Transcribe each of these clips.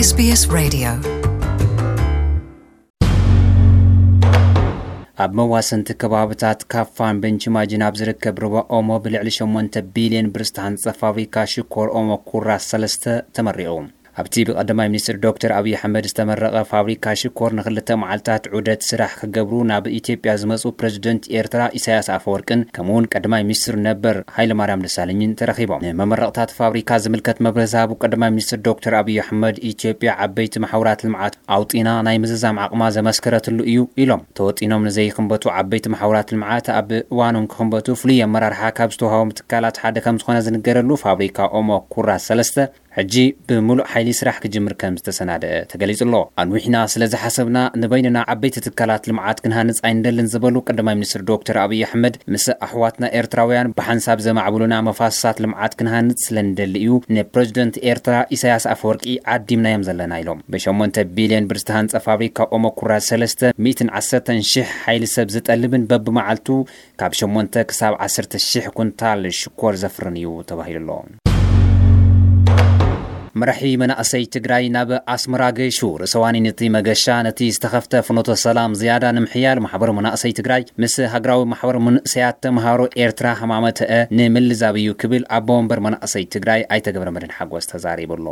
SBS Radio. ኣብ መዋሰንቲ ከባብታት ካፋን ቤንችማጅን ኣብ ዝርከብ ሩባ ኦሞ ብልዕሊ ሸሞንተ ቢልዮን ብር ዝተሃንጸ ፋብሪካ ሽኮር ኦሞ ኩራ ሰለስተ ተመሪቑ። ኣብቲ ብቀዳማይ ሚኒስትር ዶክተር ኣብይ ኣሕመድ ዝተመረቐ ፋብሪካ ሽኮር ንክልተ መዓልታት ዑደት ስራሕ ክገብሩ ናብ ኢትዮጵያ ዝመጹ ፕሬዝደንት ኤርትራ ኢሳያስ ኣፈወርቅን ከምኡውን ቀዳማይ ሚኒስትር ነበር ሃይለማርያም ደሳለኝን ተረኺቦም። ንመመረቕታት ፋብሪካ ዝምልከት መብርሂ ዝሃቡ ቀዳማይ ሚኒስትር ዶክተር ኣብይ ኣሕመድ ኢትዮጵያ ዓበይቲ መሓውራት ልምዓት ኣውጢና ናይ ምዝዛም ዓቕማ ዘመስከረትሉ እዩ ኢሎም። ተወጢኖም ንዘይክንበቱ ዓበይቲ መሓውራት ልምዓት ኣብ እዋኖም ክኽንበቱ ፍሉይ ኣመራርሓ ካብ ዝተዋሃቦም ትካላት ሓደ ከም ዝኾነ ዝንገረሉ ፋብሪካ ኦሞ ኩራ ሰለስተ ሕጂ ብምሉእ ሓይሊ ስራሕ ክጅምር ከም ዝተሰናደአ ተገሊጹ ኣሎ። ኣንዊሕና ስለ ዝሓሰብና ንበይንና ዓበይቲ ትካላት ልምዓት ክንሃንጽ ኣይንደልን ዝበሉ ቀዳማይ ሚኒስትር ዶክተር ኣብይ ኣሕመድ ምስ ኣሕዋትና ኤርትራውያን ብሓንሳብ ዘማዕብሉና መፋሰሳት ልምዓት ክንሃንጽ ስለ ንደሊ እዩ ንፕሬዝደንት ኤርትራ ኢሳያስ ኣፈወርቂ ዓዲምናዮም ዘለና ኢሎም። ብሸሞንተ ቢልዮን ብር ዝተሃንጸ ፋብሪካ ኦሞ ኩራ ሰለስተ ሚእትን ዓሰርተን ሽሕ ሓይሊ ሰብ ዝጠልብን በብመዓልቱ ካብ ሸሞንተ ክሳብ ዓሰርተ ሽሕ ኩንታል ሽኮር ዘፍርን እዩ ተባሂሉ ኣሎ። መራሒ መናእሰይ ትግራይ ናብ ኣስመራ ገይሹ። ርእሰ ዋኒን እቲ መገሻ ነቲ ዝተኸፍተ ፍኖተ ሰላም ዝያዳ ንምሕያል ማሕበር መናእሰይ ትግራይ ምስ ሃገራዊ ማሕበር መንእሰያት ተምሃሮ ኤርትራ ሃማመተአ ንምልዛብ እዩ ክብል ኣቦ ወንበር መናእሰይ ትግራይ ኣይተ ገብረመድህን ሓጎስ ተዛሪቡ ኣሎ።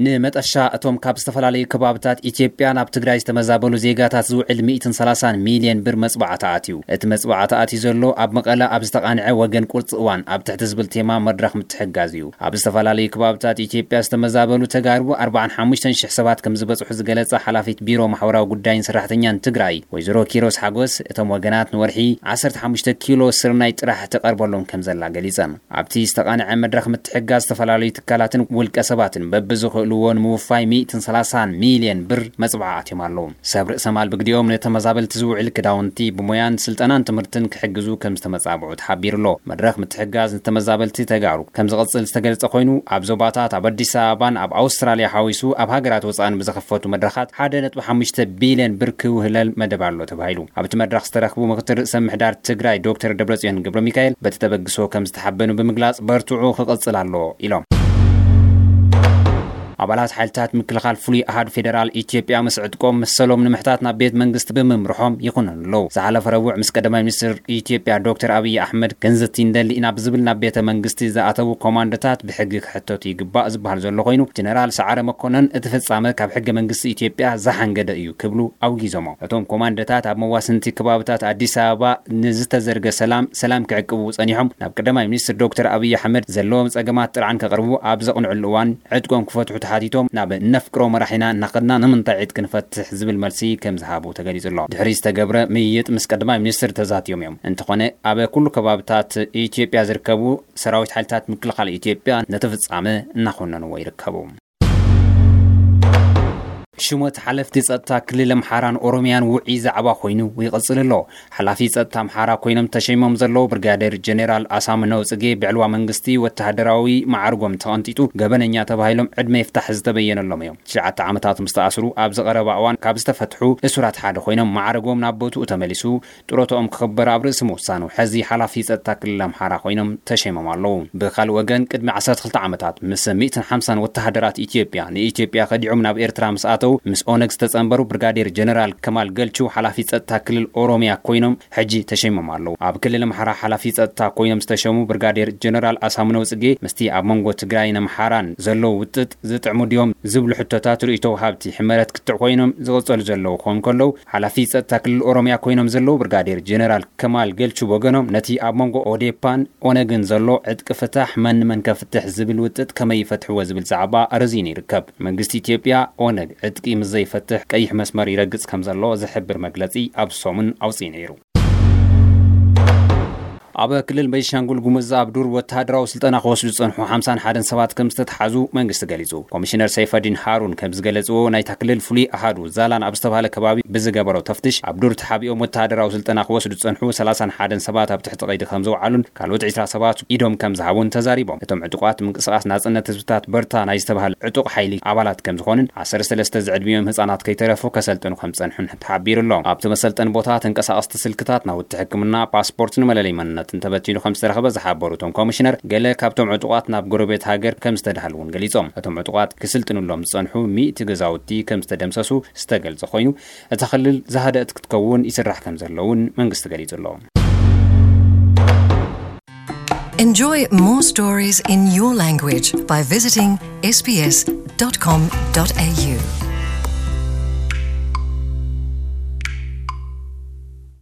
ንመጠሻ እቶም ካብ ዝተፈላለዩ ከባብታት ኢትዮጵያ ናብ ትግራይ ዝተመዛበሉ ዜጋታት ዝውዕል ሚእትን ሰላሳን ሚልዮን ብር መጽባዕታ ኣትዩ። እቲ መጽባዕታ ኣትዩ ዘሎ ኣብ መቐለ ኣብ ዝተቓንዐ ወገን ቁርፂ እዋን ኣብ ትሕቲ ዝብል ቴማ መድረኽ ምትሕጋዝ እዩ። ኣብ ዝተፈላለዩ ከባብታት ኢትዮጵያ ዝተመዛበሉ ተጋሩ ኣርባዓን ሓሙሽተን ሽሕ ሰባት ከም ዝበፅሑ ዝገለጸ ሓላፊት ቢሮ ማሕበራዊ ጉዳይን ሰራሕተኛን ትግራይ ወይዘሮ ኪሮስ ሓጎስ እቶም ወገናት ንወርሒ ዓሰርተ ሓሙሽተ ኪሎ ስርናይ ጥራሕ ትቐርበሎም ከም ዘላ ገሊጸን። ኣብቲ ዝተቓንዐ መድረኽ ምትሕጋዝ ዝተፈላለዩ ትካላትን ውልቀ ሰባትን በብዝኽእልዎ ንምውፋይ ሚእትን ሰላሳን ሚልዮን ብር መጽብዓ ኣትዮም ኣለዉ። ሰብ ርእሰ ማል ብግዲኦም ንተመዛበልቲ ዝውዕል ክዳውንቲ ብሞያን ስልጠናን ትምህርትን ክሕግዙ ከም ዝተመጻብዑ ተሓቢሩ ኣሎ። መድረኽ ምትሕጋዝ ንተመዛበልቲ ተጋሩ ከም ዝቕጽል ዝተገልጸ ኮይኑ ኣብ ዞባታት ኣብ ኣዲስ ኣበባን ኣብ ኣውስትራልያ ሓዊሱ ኣብ ሃገራት ወጻእን ብዝኸፈቱ መድረኻት ሓደ ነጥቢ ሓሙሽተ ቢልዮን ብር ክውህለል መደብ ኣሎ ተባሂሉ። ኣብቲ መድረኽ ዝተረኽቡ ምክትል ርእሰ ምሕዳር ትግራይ ዶክተር ደብረጽዮን ገብረ ሚካኤል በቲ ተበግሶ ከም ዝተሓበኑ ብምግላጽ በርትዑ ክቕጽል ኣለዎ ኢሎም። ኣባላት ሓይልታት ምክልኻል ፍሉይ ኣሃዱ ፌደራል ኢትዮጵያ ምስ ዕጥቆም መሰሎም ንምሕታት ናብ ቤት መንግስቲ ብምምርሖም ይኹነኑ ኣለዉ። ዝሓለፈ ረቡዕ ምስ ቀዳማይ ሚኒስትር ኢትዮጵያ ዶክተር ኣብይ ኣሕመድ ክንዝቲ እንደሊ ኢና ብዝብል ናብ ቤተ መንግስቲ ዝኣተዉ ኮማንዶታት ብሕጊ ክሕተቱ ይግባእ ዝበሃል ዘሎ ኮይኑ ጀነራል ሰዓረ መኮነን እቲ ፍጻመ ካብ ሕገ መንግስቲ ኢትዮጵያ ዝሓንገደ እዩ ክብሉ ኣውጊዞሞ። እቶም ኮማንዶታት ኣብ መዋስንቲ ከባብታት ኣዲስ ኣበባ ንዝተዘርገ ሰላም ሰላም ክዕቅቡ ጸኒሖም ናብ ቀዳማይ ሚኒስትር ዶክተር ኣብይ ኣሕመድ ዘለዎም ጸገማት ጥርዓን ከቕርቡ ኣብ ዘቕንዕሉ እዋን ዕጥቆም ክፈትሑ ተሓቲቶም ናብ ነፍቅሮ መራሒና እናኸድና ንምንታይ ዕጥቂ ንፈትሕ ዝብል መልሲ ከም ዝሃቡ ተገሊጹ ኣሎ። ድሕሪ ዝተገብረ ምይይጥ ምስ ቀዳማይ ሚኒስትር ተዛትዮም እዮም። እንተኾነ ኣብ ኩሉ ከባብታት ኢትዮጵያ ዝርከቡ ሰራዊት ሓይልታት ምክልኻል ኢትዮጵያ ነቲ ፍጻመ እናኾነንዎ ይርከቡ። ሽሞት ሓለፍቲ ጸጥታ ክልል ኣምሓራን ኦሮሚያን ውዑይ ዛዕባ ኮይኑ ይቕጽል ኣሎ። ሓላፊ ጸጥታ ኣምሓራ ኮይኖም ተሸይሞም ዘለዉ ብርጋዴር ጀኔራል ኣሳምነው ጽጌ ብዕልዋ መንግስቲ ወተሃደራዊ መዓርጎም ተቐንጢጡ ገበነኛ ተባሂሎም ዕድመ ይፍታሕ ዝተበየነሎም እዮም። ትሽዓተ ዓመታት ምስ ተኣስሩ ኣብ ዝቐረባ እዋን ካብ ዝተፈትሑ እሱራት ሓደ ኮይኖም መዓርጎም ናብ ቦትኡ ተመሊሱ ጥሮታኦም ክኽበር ኣብ ርእሲ ምውሳኑ፣ ሕዚ ሓላፊ ጸጥታ ክልል ኣምሓራ ኮይኖም ተሸይሞም ኣለዉ። ብኻልእ ወገን፣ ቅድሚ ዓሰርተ ክልተ ዓመታት ምስ ሚእትን ሓምሳን ወተሃደራት ኢትዮጵያ ንኢትዮጵያ ከዲዖም ናብ ኤርትራ ምስ ኣተዉ፣ ምስ ኦነግ ዝተጸንበሩ ብርጋዴር ጀነራል ከማል ገልቹ ሓላፊ ጸጥታ ክልል ኦሮሚያ ኮይኖም ሕጂ ተሸይሞም ኣለዉ። ኣብ ክልል ኣምሓራ ሓላፊ ጸጥታ ኮይኖም ዝተሸሙ ብርጋዴር ጀነራል ኣሳምነው ጽጌ፣ ምስቲ ኣብ መንጎ ትግራይን ኣምሓራን ዘሎ ውጥጥ ዝጥዕሙ ድዮም ዝብሉ ሕቶታት ርእይቶ ወሃብቲ ሕመረት ክትዕ ኮይኖም ዝቕጸሉ ዘለዉ ክኾኑ ከለዉ፣ ሓላፊ ጸጥታ ክልል ኦሮሚያ ኮይኖም ዘለዉ ብርጋዴር ጀነራል ከማል ገልቹ ብወገኖም፣ ነቲ ኣብ መንጎ ኦዴፓን ኦነግን ዘሎ ዕጥቂ ፍታሕ መን ንመን ከፍትሕ ዝብል ውጥጥ ከመይ ይፈትሕዎ ዝብል ዛዕባ ረዚኑ ይርከብ። መንግስቲ ኢትዮጵያ ኦነግ ዕጥቂ ምስ ዘይፈትሕ ቀይሕ መስመር ይረግጽ ከም ዘሎ ዝሕብር መግለጺ ኣብ ሰሙን ኣውጺኡ ነይሩ። ኣብ ክልል ቤንሻንጉል ጉሙዝ ኣብ ዱር ወተሃደራዊ ስልጠና ክወስዱ ዝጸንሑ ሓምሳን ሓደን ሰባት ከም ዝተትሓዙ መንግስቲ ገሊጹ። ኮሚሽነር ሰይፈዲን ሃሩን ከም ዝገለጽዎ፣ ናይታ ክልል ፍሉይ ኣሃዱ ዛላን ኣብ ዝተባህለ ከባቢ ብዝገበሮ ተፍትሽ፣ ኣብ ዱር ተሓቢኦም ወተሃደራዊ ስልጠና ክወስዱ ዝጸንሑ ሰላሳን ሓደን ሰባት ኣብ ትሕቲ ቀይዲ ከም ዘውዓሉን ካልኦት ዕስራ ሰባት ኢዶም ከም ዝሃቡን ተዛሪቦም። እቶም ዕጡቋት ምንቅስቓስ ናጽነት ህዝብታት በርታ ናይ ዝተባህለ ዕጡቕ ሓይሊ ኣባላት ከም ዝኾኑን ዓሰርተ ሰለስተ ዝዕድሚኦም ህጻናት ከይተረፉ ከሰልጥኑ ከም ዝጸንሑን ተሓቢሩ ኣሎ። ኣብቲ መሰልጠኒ ቦታ ተንቀሳቐስቲ ስልክታት፣ ናውቲ ሕክምና፣ ፓስፖርት፣ ንመለለይ መንነት እንተበቲኑ ከም ዝተረኸበ ዝሓበሩ እቶም ኮሚሽነር፣ ገለ ካብቶም ዕጡቓት ናብ ጎረቤት ሃገር ከም ዝተዳህሉ እውን ገሊጾም። እቶም ዕጡቓት ክስልጥንሎም ዝጸንሑ ሚእቲ ገዛውቲ ከም ዝተደምሰሱ ዝተገልጸ ኮይኑ፣ እታ ክልል ዝሃደእት ክትከውን ይስራሕ ከም ዘሎ እውን መንግስቲ ገሊጹ ኣሎ። Enjoy more stories in your language by visiting sbs.com.au.